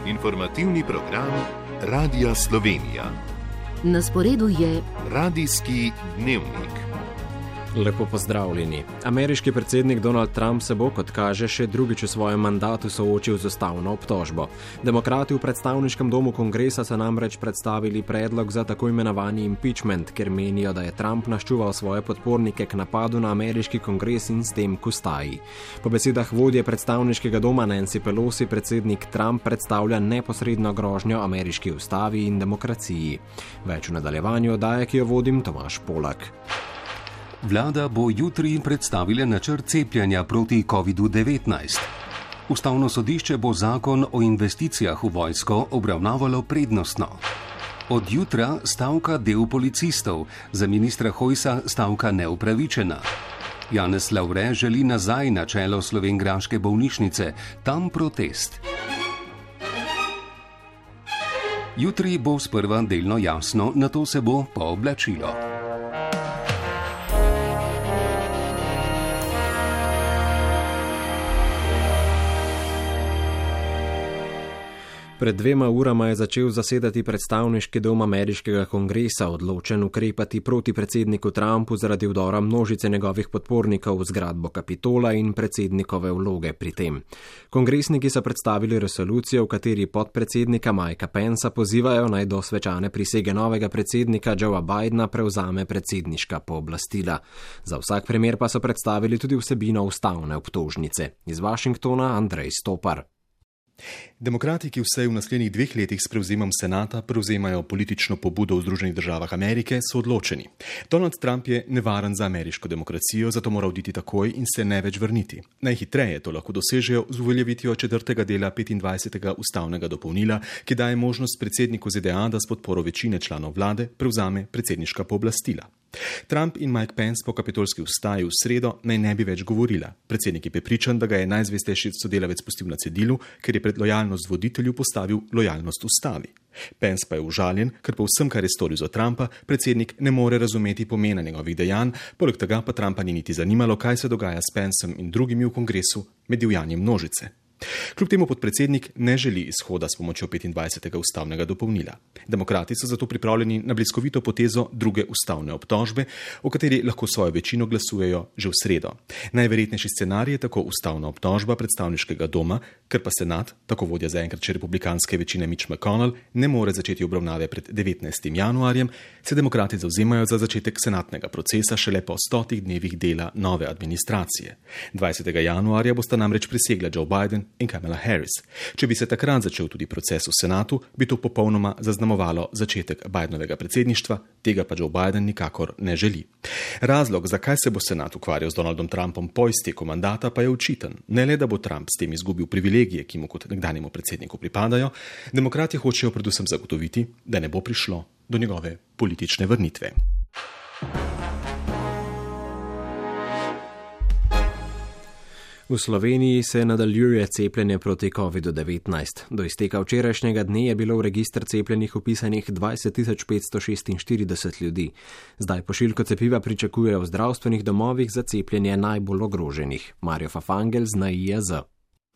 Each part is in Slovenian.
Informativni program Radia Slovenija. Na sporedu je Radijski dnevnik. Lepo pozdravljeni. Ameriški predsednik Donald Trump se bo, kot kaže, še drugič v svojem mandatu soočil z ustavno obtožbo. Demokrati v predstavniškem domu kongresa so namreč predstavili predlog za tako imenovani impeachment, ker menijo, da je Trump naščuval svoje podpornike k napadu na ameriški kongres in s tem k ustaji. Po besedah vodje predstavniškega doma Nancy Pelosi predsednik Trump predstavlja neposredno grožnjo ameriški ustavi in demokraciji. Več v nadaljevanju oddaje, ki jo vodim, Tomaž Polak. Vlada bo jutri predstavila načrt cepljenja proti COVID-19. Ustavno sodišče bo zakon o investicijah v vojsko obravnavalo prednostno. Od jutra stavka del policistov, za ministra Hojsa stavka neupravičena. Janez Lavre želi nazaj na čelo slovenjgraške bolnišnice, tam protest. Jutri bo sprva delno jasno, nato se bo pooblačilo. Pred 2 urama je začel zasedati predstavniški dom ameriškega kongresa, odločen ukrepati proti predsedniku Trumpu zaradi vdora množice njegovih podpornikov v zgradbo Kapitola in predsednikove vloge pri tem. Kongresniki so predstavili resolucijo, v kateri podpredsednika Mikea Pensa pozivajo naj do svečane prisege novega predsednika Joea Bidena prevzame predsedniška pooblastila. Za vsak primer pa so predstavili tudi vsebino ustavne obtožnice. Iz Washingtona Andrej Stopar. Demokrati, ki vsaj v naslednjih 2 letih s prevzemom senata prevzemajo politično pobudo v Združenih državah Amerike, so odločeni. Donald Trump je nevaren za ameriško demokracijo, zato mora oditi takoj in se ne več vrniti. Najhitreje to lahko dosežejo z uveljavitvijo 4. dela 25. ustavnega dopolnila, ki daje možnost predsedniku ZDA, da s podporo večine članov vlade prevzame predsedniška pooblastila. Trump in Mike Pence po kapitolski ustaji v sredo naj ne bi več govorila. Predsednik je prepričan, da ga je najzvestejši sodelavec pustil na cedilu, ker je pred lojalnost voditelju postavil lojalnost ustavi. Pence pa je užaljen, ker po vsem, kar je storil za Trumpa, predsednik ne more razumeti pomena njegovih dejanj, poleg tega pa Trumpa ni niti zanimalo, kaj se dogaja s Pencem in drugimi v kongresu med divjanjem množice. Kljub temu podpredsednik ne želi izhoda s pomočjo 25. ustavnega dopolnila. Demokrati so zato pripravljeni na bliskovito potezo druge ustavne obtožbe, o kateri lahko svojo večino glasujejo že v sredo. Najverjetnejši scenarij je tako ustavna obtožba predstavniškega doma, ker pa senat, tako vodja zaenkrat še republikanske večine Mitch McConnell, ne more začeti obravnave pred 19. januarjem, se demokrati zavzemajo za začetek senatnega procesa šele po 100 dnevih dela nove administracije. 20. januarja bosta namreč prisegla Joe Biden in Kamala Harris. Če bi se takrat začel tudi proces v senatu, bi to popolnoma zaznamovalo začetek Bidenovega predsedništva, tega pa Joe Biden nikakor ne želi. Razlog, zakaj se bo senat ukvarjal z Donaldom Trumpom po izteku mandata, pa je očiten. Ne le, da bo Trump s tem izgubil privilegije, ki mu kot nekdanjemu predsedniku pripadajo, demokrati hočejo predvsem zagotoviti, da ne bo prišlo do njegove politične vrnitve. V Sloveniji se nadaljuje cepljenje proti COVID-19. Do izteka včerajšnjega dne je bilo v register cepljenih vpisanih 20.546 ljudi. Zdaj pošiljko cepiva pričakujejo v zdravstvenih domovih za cepljenje najbolj ogroženih. Marjo Fafangel z NIJZ.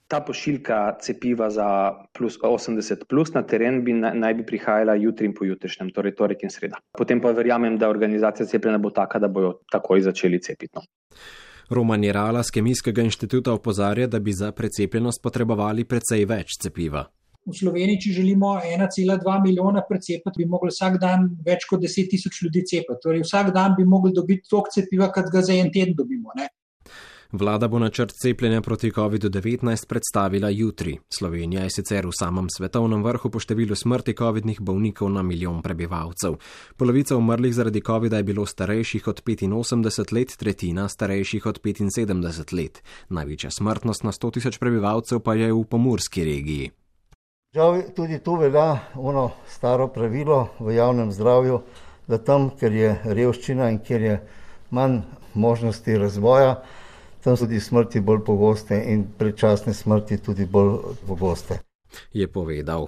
Ta pošiljka cepiva za plus 80+ na teren naj bi prihajala jutri in pojutrišnjem, torej torek in sreda. Potem pa verjamem, da organizacija cepljenja bo taka, da bojo takoj začeli cepiti. Roman Jerala z Kemijskega inštituta opozarja, da bi za precepljenost potrebovali precej več cepiva. V Sloveniji, če želimo 1,2 milijona precepiti, bi mogli vsak dan več kot 10.000 ljudi cepiti. Torej vsak dan bi mogli dobiti toliko cepiva, kot ga za en teden dobimo, ne? Vlada bo načrt cepljenja proti COVID-19 predstavila jutri. Slovenija je sicer v samem svetovnem vrhu po številu smrti covidnih bolnikov na milijon prebivalcev. Polovica umrlih zaradi covida je bilo starejših od 85 let, tretjina starejših od 75 let. Največja smrtnost na 100.000 prebivalcev pa je v pomurski regiji. Žal tudi tu velja ono staro pravilo v javnem zdravju, da tam, kjer je revščina in kjer je manj možnosti razvoja, tam so tudi smrti bolj pogoste in predčasne smrti tudi bolj pogoste. Je povedal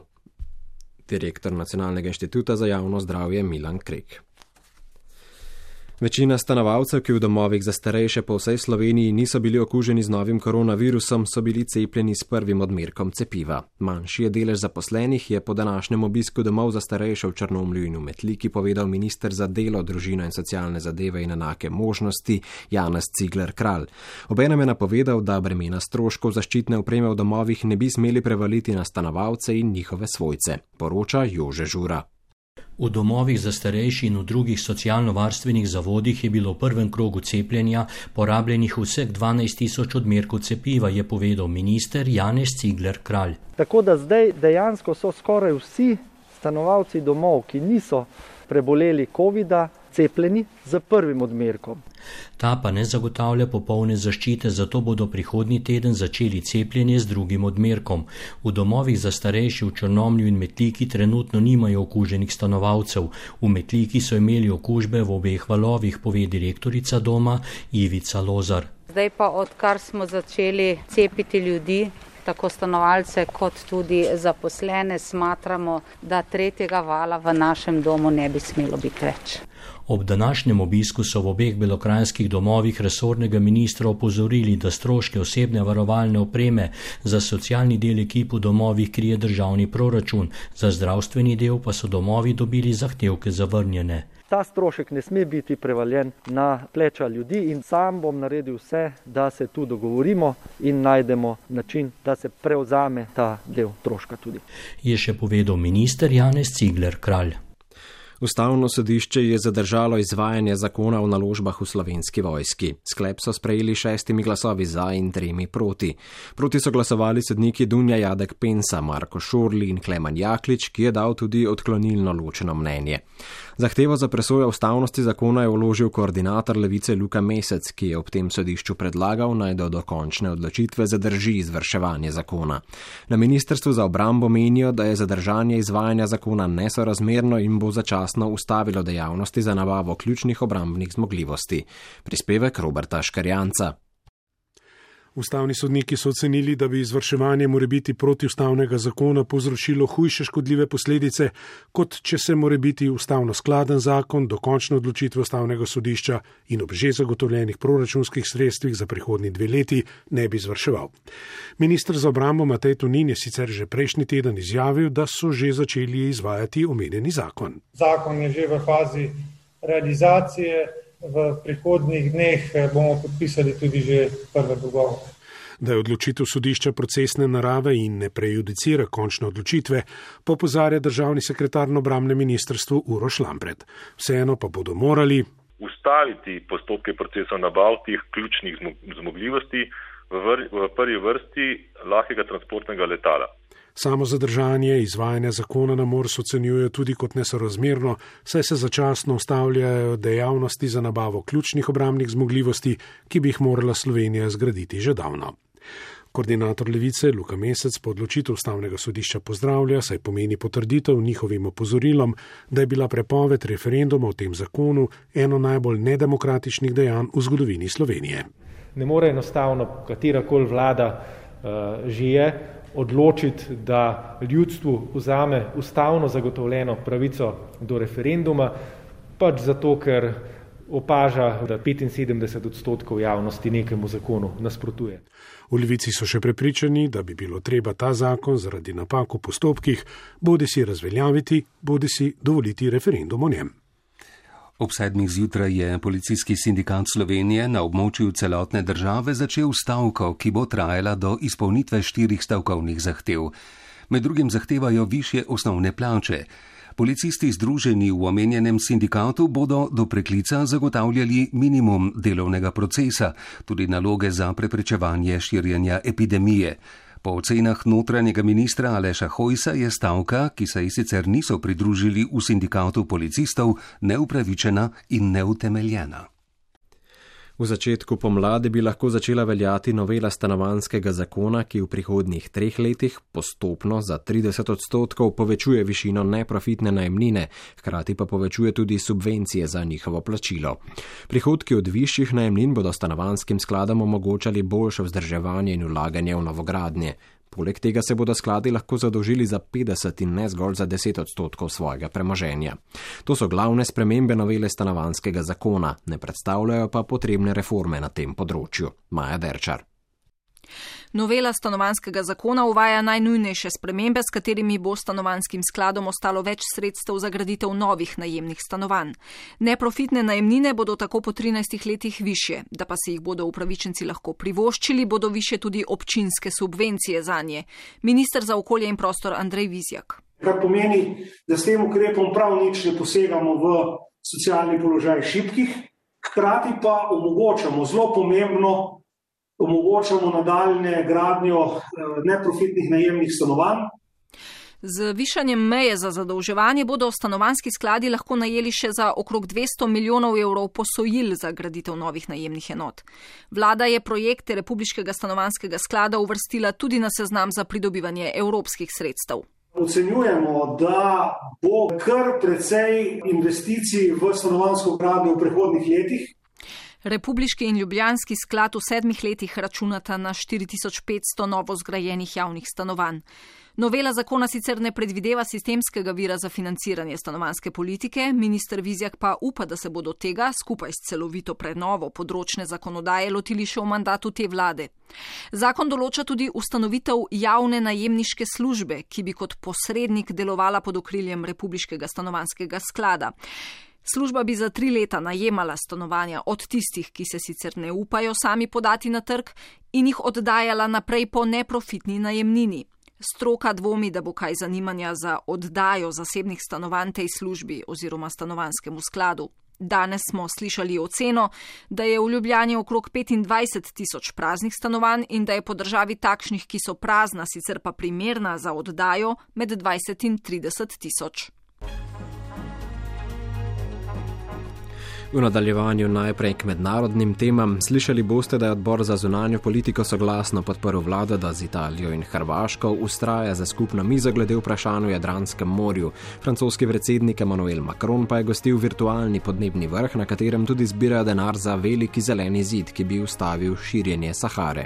direktor Nacionalnega inštituta za javno zdravje Milan Krek. Večina stanovalcev, ki v domovih za starejše po vsej Sloveniji niso bili okuženi z novim koronavirusom, so bili cepljeni s prvim odmerkom cepiva. Manjši je delež zaposlenih, je po današnjem obisku domov za starejše v Črnomlju in v Metliki povedal minister za delo, družino in socialne zadeve in enake možnosti Janez Cigler Kralj. Obenem je napovedal, da bremena stroškov zaščitne opreme v domovih ne bi smeli prevaliti na stanovalce in njihove svojce, poroča Jože Žura. V domovih za starejši in v drugih socialno-varstvenih zavodih je bilo v prvem krogu cepljenja porabljenih vseh 12.000 odmerkov cepiva, je povedal minister Janez Cigler Kralj. Tako da zdaj dejansko so skoraj vsi stanovalci domov, ki niso preboleli covida, cepljeni z prvim odmerkom. Ta pa ne zagotavlja popolne zaščite, zato bodo prihodnji teden začeli cepljenje z drugim odmerkom. V domovih za starejši v Črnomlju in Metliki trenutno nimajo okuženih stanovalcev. V Metliki so imeli okužbe v obeh valovih, pove direktorica doma Ivica Lozar. Zdaj pa, odkar smo začeli cepiti ljudi, tako stanovalce kot tudi zaposlene, smatramo, da tretjega vala v našem domu ne bi smelo biti več. Ob današnjem obisku so v obeh belokranjskih domovih resornega ministra opozorili, da stroške osebne varovalne opreme za socialni del ekip v domovih krije državni proračun, za zdravstveni del pa so domovi dobili zahtevke zavrnjene. Ta strošek ne sme biti prevaljen na pleča ljudi in sam bom naredil vse, da se tu dogovorimo in najdemo način, da se prevzame ta del stroška tudi. Je še povedal minister Janez Cigler Kralj. Ustavno sodišče je zadržalo izvajanje zakona o naložbah v Slovenski vojski. Sklep so sprejeli 6 glasovi za in 3 proti. Proti so glasovali sodniki Dunja Jadek Pensa, Marko Šorli in Klemen Jaklič, ki je dal tudi odklonilno ločeno mnenje. Zahtevo za presojo ustavnosti zakona je vložil koordinator Levice Luka Mesec, ki je ob tem sodišču predlagal, naj do dokončne odločitve zadrži izvrševanje zakona. Na Ministrstvu za obrambo menijo, da je zadržanje izvajanja zakona nesorazmerno in bo začasno ustavilo dejavnosti za nabavo ključnih obrambnih zmogljivosti. Prispevek Roberta Škarjanca. Ustavni sodniki so ocenili, da bi izvrševanje morebiti protiustavnega zakona povzročilo hujše škodljive posledice, kot če se morebiti ustavno skladen zakon do končne odločitve ustavnega sodišča in ob že zagotovljenih proračunskih sredstvih za prihodnji 2 leti ne bi izvrševal. Minister za obrambo Matej Tonin je sicer že prejšnji teden izjavil, da so že začeli izvajati omenjeni zakon. Zakon je že v fazi realizacije. V prihodnjih dneh bomo podpisali tudi že prve dogovore. Da je odločitev sodišča procesne narave in ne prejudicira končne odločitve, popozarja državni sekretar na obrambnem ministrstvu Uroš Lampret. Vseeno pa bodo morali ustaviti postopke procesov nabav teh ključnih zmogljivosti, v prvi vrsti lahkega transportnega letala. Samo zadržanje izvajanja zakona na MORS ocenjuje tudi kot nesorazmerno, saj se začasno ustavljajo dejavnosti za nabavo ključnih obrambnih zmogljivosti, ki bi jih morala Slovenija zgraditi že davno. Koordinator Levice Luka Mesec po odločitev ustavnega sodišča pozdravlja, saj pomeni potrditev njihovim opozorilom, da je bila prepoved referenduma o tem zakonu eno najbolj nedemokratičnih dejanj v zgodovini Slovenije. Ne more enostavno katerakoli vlada že je odločiti, da ljudstvu vzame ustavno zagotovljeno pravico do referenduma, pač zato, ker opaža, da 75% javnosti nekemu zakonu nasprotuje. V Levici so še prepričani, da bi bilo treba ta zakon zaradi napak v postopkih bodisi razveljaviti, bodisi dovoliti referendum o njem. Ob 7. zjutraj je policijski sindikat Slovenije na območju celotne države začel stavko, ki bo trajala do izpolnitve 4 stavkovnih zahtev. Med drugim zahtevajo višje osnovne plače. Policisti združeni v omenjenem sindikatu bodo do preklica zagotavljali minimum delovnega procesa, tudi naloge za preprečevanje širjenja epidemije. Po ocenah notranjega ministra Aleša Hojsa je stavka, ki se ji sicer niso pridružili v sindikatu policistov, neupravičena in neutemeljena. V začetku pomladi bi lahko začela veljati novela stanovanjskega zakona, ki v prihodnjih 3 letih postopno za 30% povečuje višino neprofitne najemnine, hkrati pa povečuje tudi subvencije za njihovo plačilo. Prihodki od višjih najemnin bodo stanovanjskim skladom omogočali boljše vzdrževanje in vlaganje v novogradnje. Poleg tega se bodo skladi lahko zadolžili za 50 in ne zgolj za 10% svojega premoženja. To so glavne spremembe novele stanovanjskega zakona, ne predstavljajo pa potrebne reforme na tem področju. Maja Derčar. Novela stanovanjskega zakona uvaja najnujnejše spremembe, s katerimi bo stanovanjskim skladom ostalo več sredstev za graditev novih najemnih stanovanj. Neprofitne najemnine bodo tako po 13 letih višje, da pa se jih bodo upravičenci lahko privoščili, bodo višje tudi občinske subvencije zanje. Minister za okolje in prostor Andrej Vizjak. Kar pomeni, da s tem ukrepom prav nič ne posegamo v socialni položaj šibkih, hkrati pa omogočamo zelo pomembno nadaljne gradnjo neprofitnih najemnih stanovanj. Z višanjem meje za zadolževanje bodo stanovanjski skladi lahko najeli še za okrog 200 milijonov evrov posojil za graditev novih najemnih enot. Vlada je projekte Republiškega stanovanjskega sklada uvrstila tudi na seznam za pridobivanje evropskih sredstev. Ocenjujemo, da bo kar precej investicij v stanovanjsko gradnjo v prihodnjih letih. Republiški in Ljubljanski sklad v 7 letih računata na 4500 novo zgrajenih javnih stanovanj. Novela zakona sicer ne predvideva sistemskega vira za financiranje stanovanjske politike, minister Vizjak pa upa, da se bodo tega skupaj s celovito prenovo področne zakonodaje lotili še v mandatu te vlade. Zakon določa tudi ustanovitev javne najemniške službe, ki bi kot posrednik delovala pod okriljem Republiškega stanovanjskega sklada. Služba bi za 3 leta najemala stanovanja od tistih, ki se sicer ne upajo sami podati na trg, in jih oddajala naprej po neprofitni najemnini. Stroka dvomi, da bo kaj zanimanja za oddajo zasebnih stanovanj tej službi oziroma stanovanjskemu skladu. Danes smo slišali oceno, da je v Ljubljani okrog 25.000 praznih stanovanj in da je po državi takšnih, ki so prazna, sicer pa primerna za oddajo, med 20 in 30.000. V nadaljevanju najprej k mednarodnim temam. Slišali boste, da je odbor za zunanjo politiko soglasno podprl vlado, da z Italijo in Hrvaško ustraja za skupno mizo glede vprašanj v Jadranskem morju. Francoski predsednik Emmanuel Macron pa je gostil virtualni podnebni vrh, na katerem tudi zbirajo denar za veliki zeleni zid, ki bi ustavil širjenje Sahare.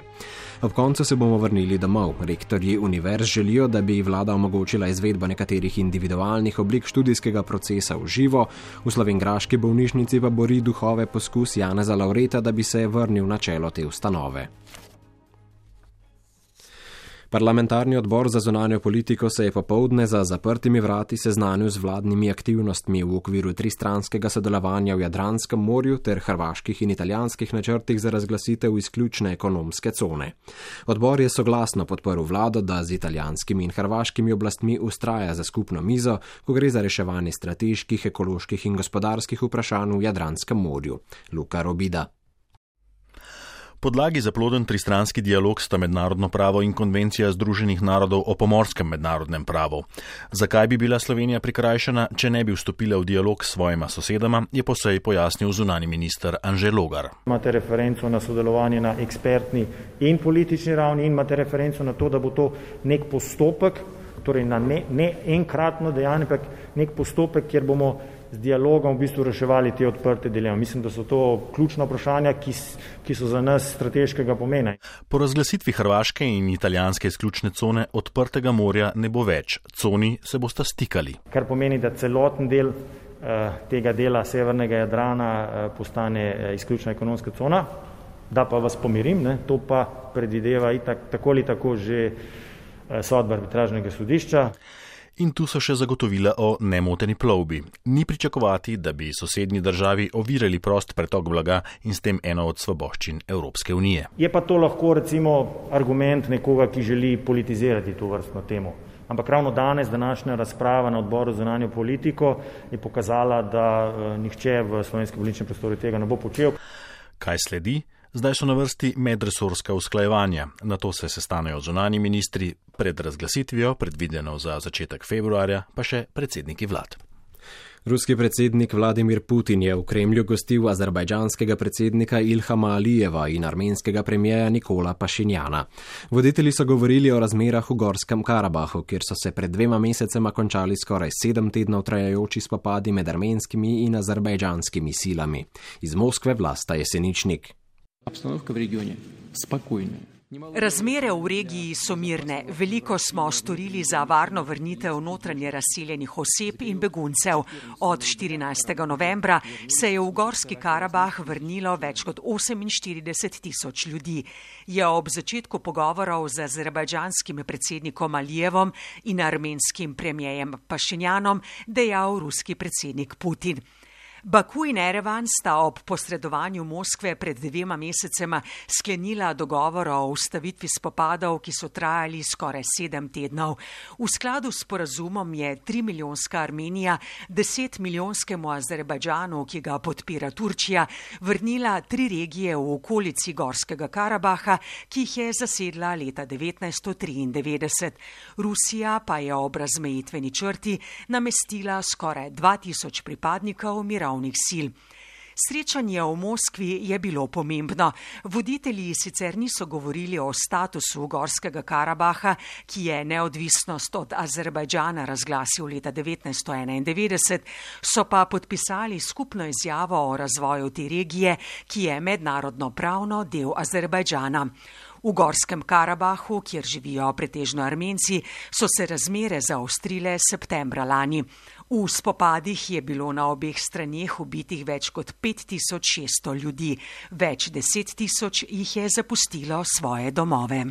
Ob koncu se bomo vrnili domov. Rektorji univerz želijo, da bi vlada omogočila izvedbo nekaterih individualnih oblik študijskega procesa v živo. V slovenjgraški bolnišnici pa bori duhove poskus Janeza Lavreta, da bi se vrnil na čelo te ustanove. Parlamentarni odbor za zunanjo politiko se je popoldne za zaprtimi vrati seznanil z vladnimi aktivnostmi v okviru tristranskega sodelovanja v Jadranskem morju ter hrvaških in italijanskih načrtih za razglasitev izključne ekonomske cone. Odbor je soglasno podprl vlado, da z italijanskimi in hrvaškimi oblastmi ustraja za skupno mizo, ko gre za reševanje strateških, ekoloških in gospodarskih vprašanj v Jadranskem morju. Luka Robida. Podlagi za ploden tristranski dialog sta mednarodno pravo in konvencija Združenih narodov o pomorskem mednarodnem pravu. Zakaj bi bila Slovenija prikrajšana, če ne bi vstopila v dialog s svojima sosedama, je po seji pojasnil zunanji minister Anže Logar. Imate referenco na sodelovanje na ekspertni in politični ravni in imate referenco na to, da bo to nek postopek, torej na ne enkratno dejanje, ampak nek postopek, kjer bomo z dialogom v bistvu reševali te odprte dileme. Mislim, da so to ključna vprašanja, ki so za nas strateškega pomena. Po razglasitvi hrvaške in italijanske izključne cone odprtega morja ne bo več. Coni se bosta stikali. Kar pomeni, da celoten del tega dela severnega Jadrana postane izključna ekonomska cona. Da pa vas pomirim, to pa predvideva tako ali tako že sodba arbitražnega sodišča. In tu so še zagotovila o nemoteni plovbi. Ni pričakovati, da bi sosednji državi ovirali prost pretok blaga in s tem eno od svoboščin Evropske unije. Je pa to lahko recimo argument nekoga, ki želi politizirati to vrstno temo. Ampak ravno danes današnja razprava na odboru za zunanjo politiko je pokazala, da nihče v slovenskem političnem prostoru tega ne bo počel. Kaj sledi? Zdaj so na vrsti medresorska usklajevanja. Na to se sestanejo zunanji ministri, pred razglasitvijo, predvideno za začetek februarja, pa še predsedniki vlad. Ruski predsednik Vladimir Putin je v Kremlju gostil azerbajdžanskega predsednika Ilhama Alijeva in armenskega premijeja Nikola Pašinjana. Voditelji so govorili o razmerah v Gorskem Karabahu, kjer so se pred 2 mesecema končali skoraj 7 tednov trajajoči spopadi med armenskimi in azerbajdžanskimi silami. Iz Moskve Vlasta Jeseničnik. Обстановка в регионе спокойная. Razmere v regiji so mirne. Veliko smo storili za varno vrnitev notranje razseljenih oseb in beguncev. Od 14. novembra se je v Gorski Karabah vrnilo več kot 48 000 ljudi. Je ob začetku pogovorov z azerbajdžanskim predsednikom Alijevom in armenskim premijejem Pašinjanom dejal ruski predsednik Putin. Baku in Erevan sta ob posredovanju Moskve pred 2 mesecema sklenila dogovor o ustavitvi spopadov, ki so trajali skoraj 7 tednov. V skladu s sporazumom je 3-milijonska Armenija 10-milijonskemu Azerbajdžanu, ki ga podpira Turčija, vrnila 3 regije v okolici Gorskega Karabaha, ki jih je zasedla leta 1993. Rusija pa je ob razmejitveni črti namestila skoraj 2000 pripadnikov mirovnih sil. Srečanje v Moskvi je bilo pomembno. Voditelji sicer niso govorili o statusu Gorskega Karabaha, ki je neodvisnost od Azerbajdžana razglasil leta 1991, so pa podpisali skupno izjavo o razvoju te regije, ki je mednarodno pravno del Azerbajdžana. V Gorskem Karabahu, kjer živijo pretežno Armenci, so se razmere zaostrile septembra lani. V spopadih je bilo na obeh straneh ubitih več kot 5600 ljudi. Več 10 000 jih je zapustilo svoje domove.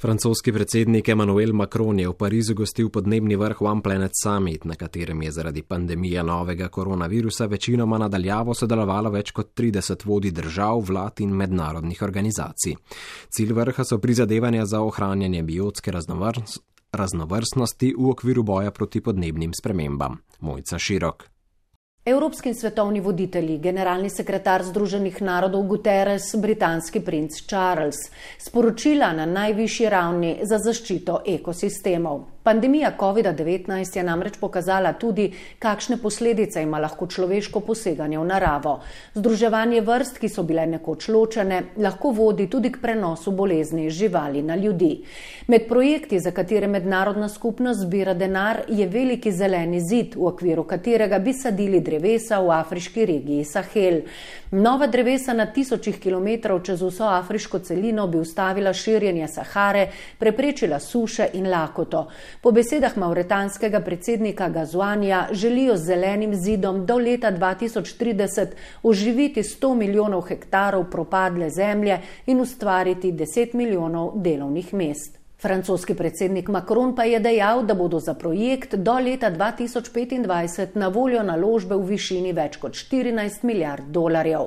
Francoski predsednik Emmanuel Macron je v Parizu gostil podnebni vrh One Planet Summit, na katerem je zaradi pandemije novega koronavirusa večinoma nadaljavo sodelovalo več kot 30 vodij držav, vlad in mednarodnih organizacij. Cilj vrha so prizadevanja za ohranjanje biotske raznovrstnosti v okviru boja proti podnebnim spremembam. Mojca Širok. Evropski in svetovni voditelji, generalni sekretar Združenih narodov Guterres, britanski princ Charles, sporočila na najvišji ravni za zaščito ekosistemov. Pandemija COVID-19 je namreč pokazala tudi, kakšne posledice ima lahko človeško poseganje v naravo. Združevanje vrst, ki so bile nekoč ločene, lahko vodi tudi k prenosu bolezni živali na ljudi. Med projekti, za katere mednarodna skupnost zbira denar, je veliki zeleni zid, v okviru katerega bi sadili drevesa v afriški regiji Sahel. Nova drevesa na 1000 kilometrov čez vso afriško celino bi ustavila širjenje Sahare, preprečila suše in lakoto. Po besedah mauretanskega predsednika Gazouanija želijo z zelenim zidom do leta 2030 oživiti 100 milijonov hektarov propadle zemlje in ustvariti 10 milijonov delovnih mest. Francoski predsednik Macron pa je dejal, da bodo za projekt do leta 2025 na voljo naložbe v višini več kot 14 milijard dolarjev.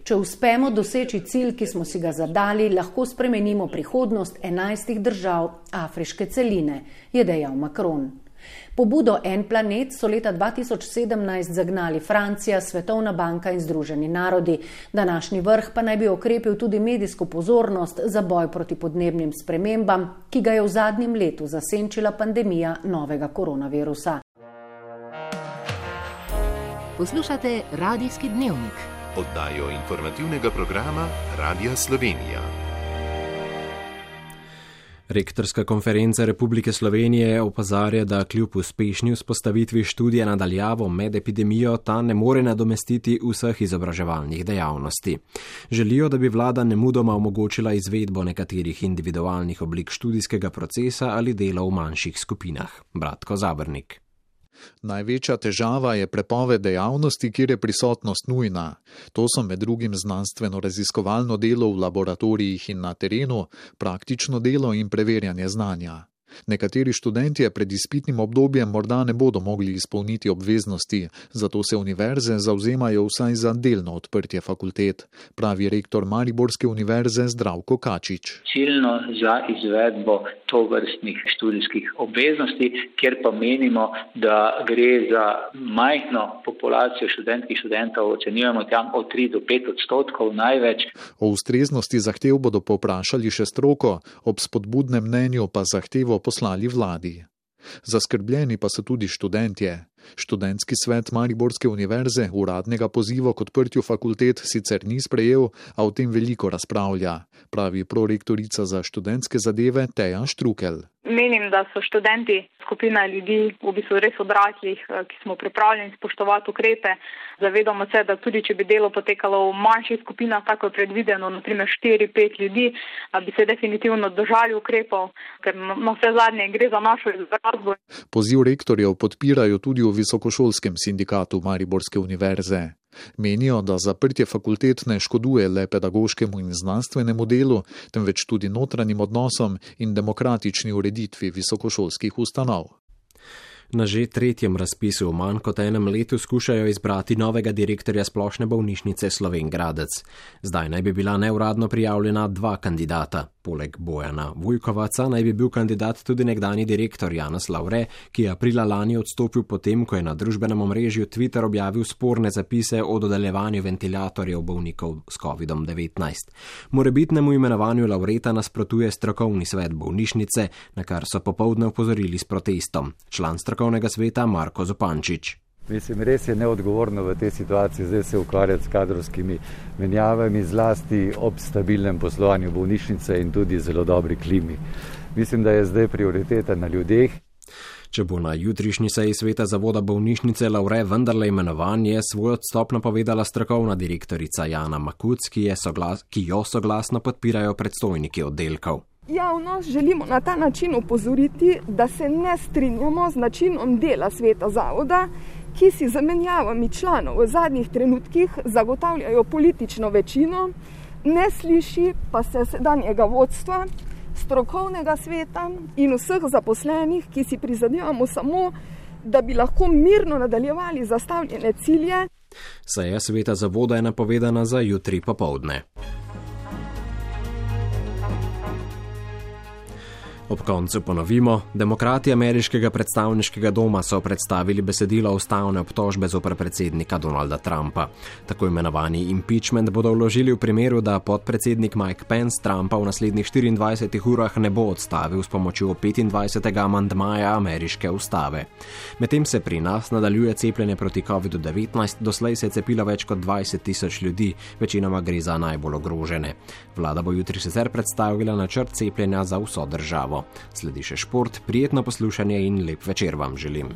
Če uspemo doseči cilj, ki smo si ga zadali, lahko spremenimo prihodnost 11 držav afriške celine, je dejal Macron. Pobudo En planet so leta 2017 zagnali Francija, Svetovna banka in Združeni narodi. Današnji vrh pa naj bi okrepil tudi medijsko pozornost za boj proti podnebnim spremembam, ki ga je v zadnjem letu zasenčila pandemija novega koronavirusa. Poslušate Radijski dnevnik. Oddajo informativnega programa Radija Slovenija. Rektorska konferenca Republike Slovenije opozarja, da kljub uspešni vzpostavitvi študija nadaljavo med epidemijo ta ne more nadomestiti vseh izobraževalnih dejavnosti. Želijo, da bi vlada nemudoma omogočila izvedbo nekaterih individualnih oblik študijskega procesa ali dela v manjših skupinah. Bratko Zabrnik. Največja težava je prepoved dejavnosti, kjer je prisotnost nujna. To so med drugim znanstveno-raziskovalno delo v laboratorijih in na terenu, praktično delo in preverjanje znanja. Nekateri študentje pred izpitnim obdobjem morda ne bodo mogli izpolniti obveznosti, zato se univerze zavzemajo vsaj za delno odprtje fakultet, pravi rektor Mariborske univerze Zdravko Kačič. Ciljno za izvedbo tovrstnih študijskih obveznosti, kjer pa menimo, da gre za majhno populacijo študentov, ocenjujemo tam od 3 do 5% največ. O ustreznosti zahtev bodo povprašali še stroko, ob spodbudnem mnenju pa zahtevo poslali vladi. Zaskrbljeni pa so tudi študentje. Študentski svet Mariborske univerze uradnega poziva k odprtju fakultet sicer ni sprejel, a o tem veliko razpravlja, pravi prorektorica za študentske zadeve Teja Štrukelj. menim, da so študenti skupina ljudi, v bistvu res odraslih, ki smo pripravljeni spoštovati ukrepe. Zavedamo se, da tudi če bi delo potekalo v manjših skupinah, tako je predvideno, naprimer 4-5 ljudi, bi se definitivno držali ukrepov, ker na vse zadnje gre za našo izobrazbo. Poziv rektorjev podpirajo tudi v Visokošolskem sindikatu Mariborske univerze. Menijo, da zaprtje fakultet ne škoduje le pedagoškemu in znanstvenemu delu, temveč tudi notranjim odnosom in demokratični ureditvi visokošolskih ustanov. Na že tretjem razpisu v manj kot enem letu skušajo izbrati novega direktorja Splošne bolnišnice Slovenj Gradec. Zdaj naj bi bila neuradno prijavljena 2 kandidata. Poleg Bojana Vujkovaca naj bi bil kandidat tudi nekdanji direktor Janez Lavre, ki je aprila lani odstopil potem, ko je na družbenem omrežju Twitter objavil sporne zapise o dodeljevanju ventilatorjev bolnikov s COVID-19. Morebitnemu imenovanju Lavreta nasprotuje strokovni svet bolnišnice, na kar so popoldne opozorili s protestom. Član strokovnega sveta Marko Zupančič. Mislim, res je neodgovorno v tej situaciji zdaj se ukvarjati s kadrovskimi menjavami, zlasti ob stabilnem poslovanju bolnišnice in tudi zelo dobri klimi. Mislim, da je zdaj prioriteta na ljudeh. Če bo na jutrišnji seji sveta zavoda bolnišnice Lavre vendarle imenovan, je svoj odstop napovedala strokovna direktorica Jana Makuc, ki jo soglasno podpirajo predstojniki oddelkov. Javnost želimo na ta način opozoriti, da se ne strinjamo z načinom dela sveta zavoda, ki si zamenjavami članov v zadnjih trenutkih zagotavljajo politično večino, ne sliši pa se sedanjega vodstva, strokovnega sveta in vseh zaposlenih, ki si prizadevamo samo, da bi lahko mirno nadaljevali zastavljene cilje. Seja sveta zavoda je napovedana za jutri popoldne. Ob koncu ponovimo, demokrati ameriškega predstavniškega doma so predstavili besedilo ustavne obtožbe zoper predsednika Donalda Trumpa. Tako imenovani impeachment bodo vložili v primeru, da podpredsednik Mike Pence Trumpa v naslednjih 24 urah ne bo odstavil s pomočjo 25. amandmaja ameriške ustave. Medtem se pri nas nadaljuje cepljenje proti COVID-19, doslej se je cepilo več kot 20,000 ljudi, večinoma gre za najbolj ogrožene. Vlada bo jutri sicer predstavila načrt cepljenja za vso državo. Sledi še šport, prijetno poslušanje in lep večer vam želim.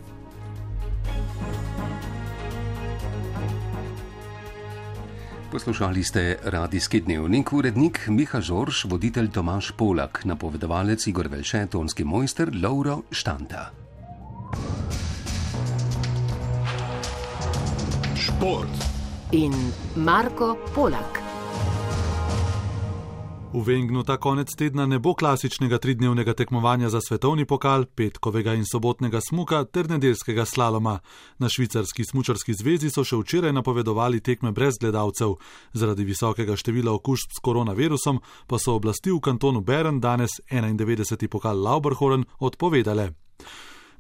Poslušali ste radijski dnevnik, urednik Miha Žorž, voditelj Tomaž Polak, napovedovalec Igor Velše, tonski mojster Lovro Štanta. Šport in Marko Polak. V Wengnu ta konec tedna ne bo klasičnega 3-dnevnega tekmovanja za svetovni pokal, petkovega in sobotnega smuka ter nedeljskega slaloma. Na švicarski smučarski zvezi so še včeraj napovedovali tekme brez gledalcev. Zaradi visokega števila okužb s koronavirusom pa so oblasti v kantonu Bern danes 91. pokal Lauberhorn odpovedale.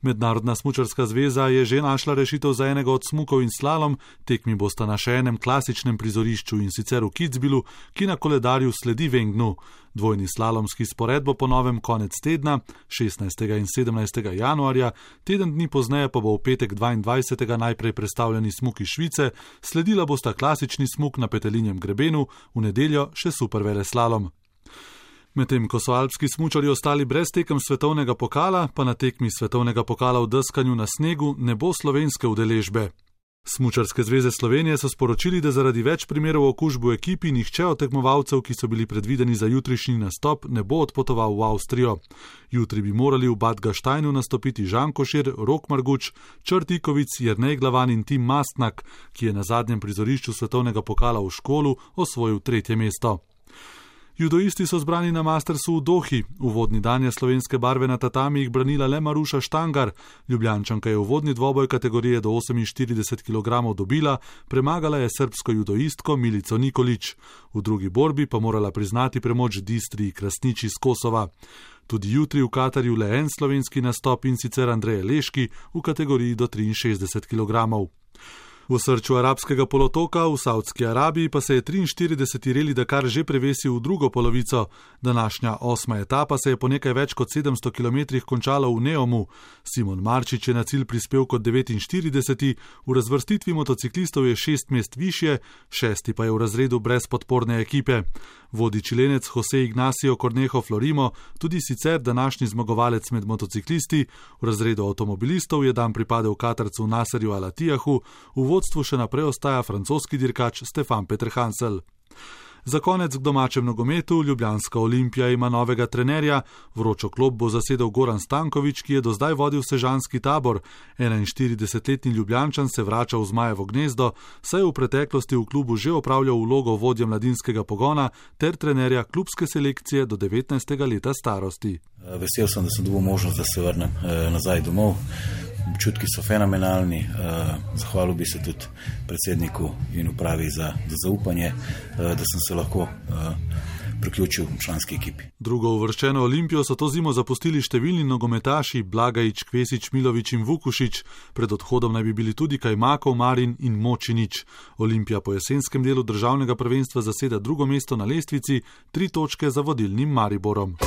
Mednarodna smučarska zveza je že našla rešitev za enega od smukov in slalom, tekmi bosta na še enem klasičnem prizorišču in sicer v Kitzbühelu, ki na koledarju sledi Wengnu. Dvojni slalomski spored bo po novem konec tedna, 16. in 17. januarja, teden dni pozneje pa bo v petek 22. najprej predstavljeni smuk iz Švice, sledila bosta klasični smuk na Petelinjem grebenu, v nedeljo še superveleslalom. Medtem ko so alpski smučarji ostali brez tekem svetovnega pokala, pa na tekmi svetovnega pokala v deskanju na snegu ne bo slovenske udeležbe. Smučarske zveze Slovenije so sporočili, da zaradi več primerov okužb v ekipi nihče od tekmovalcev, ki so bili predvideni za jutrišnji nastop, ne bo odpotoval v Avstrijo. Jutri bi morali v Bad Gasteinu nastopiti Žan Košir, Rok Marguč, Črt Ikovic, Jernej Glavan in Tim Mastnak, ki je na zadnjem prizorišču svetovnega pokala v Školu osvojil 3. mesto. Judoisti so zbrani na Mastersu v Dohi. Uvodni dan je slovenske barve na tatami jih branila le Maruša Štangar. Ljubljančanka je uvodni dvoboj kategorije do 48 kg dobila, premagala je srbsko judoistko Milico Nikolić. V drugi borbi pa morala priznati premoč Distri Krasnič iz Kosova. Tudi jutri v Katarju le en slovenski nastop in sicer Andreje Leški v kategoriji do 63 kg. V srču arabskega polotoka v Saudski Arabiji pa se je 43. Reli Dakar že prevesil v drugo polovico. Današnja 8. etapa se je po nekaj več kot 700 km končala v Neomu. Simon Marčič je na cilj prispel kot 49. V razvrstitvi motociklistov je 6 mest višje, 6. pa je v razredu brez podporne ekipe. Vodi Čilenec Jose Ignacio Cornejo Florimo, tudi sicer današnji zmagovalec med motociklisti. V razredu avtomobilistov je dan pripadel Katarcu Nasserju Al-Attijahu, v vodstvu še naprej ostaja francoski dirkač Stefan Peterhansel. Za konec k domačem nogometu. Ljubljanska Olimpija ima novega trenerja. Vročo klop bo zasedel Goran Stanković, ki je do zdaj vodil sežanski tabor. 41-letni Ljubljančan se vrača v Zmajevo gnezdo, saj je v preteklosti v klubu že opravljal vlogo vodje mladinskega pogona ter trenerja klubske selekcije do 19. leta starosti. Vesel sem, da sem dobil možnost, da se vrnem nazaj domov. Občutki so fenomenalni, zahvalil bi se tudi predsedniku in upravi za zaupanje, da sem se lahko priključil članski ekipi. Drugo uvrščeno Olimpijo so to zimo zapustili številni nogometaši Blagajič, Kvesič, Milović in Vukušić. Pred odhodom naj bi bili tudi Kajmakov, Marin in Močinić. Olimpija po jesenskem delu državnega prvenstva zaseda drugo mesto na lestvici, 3 točke za vodilnim Mariborom.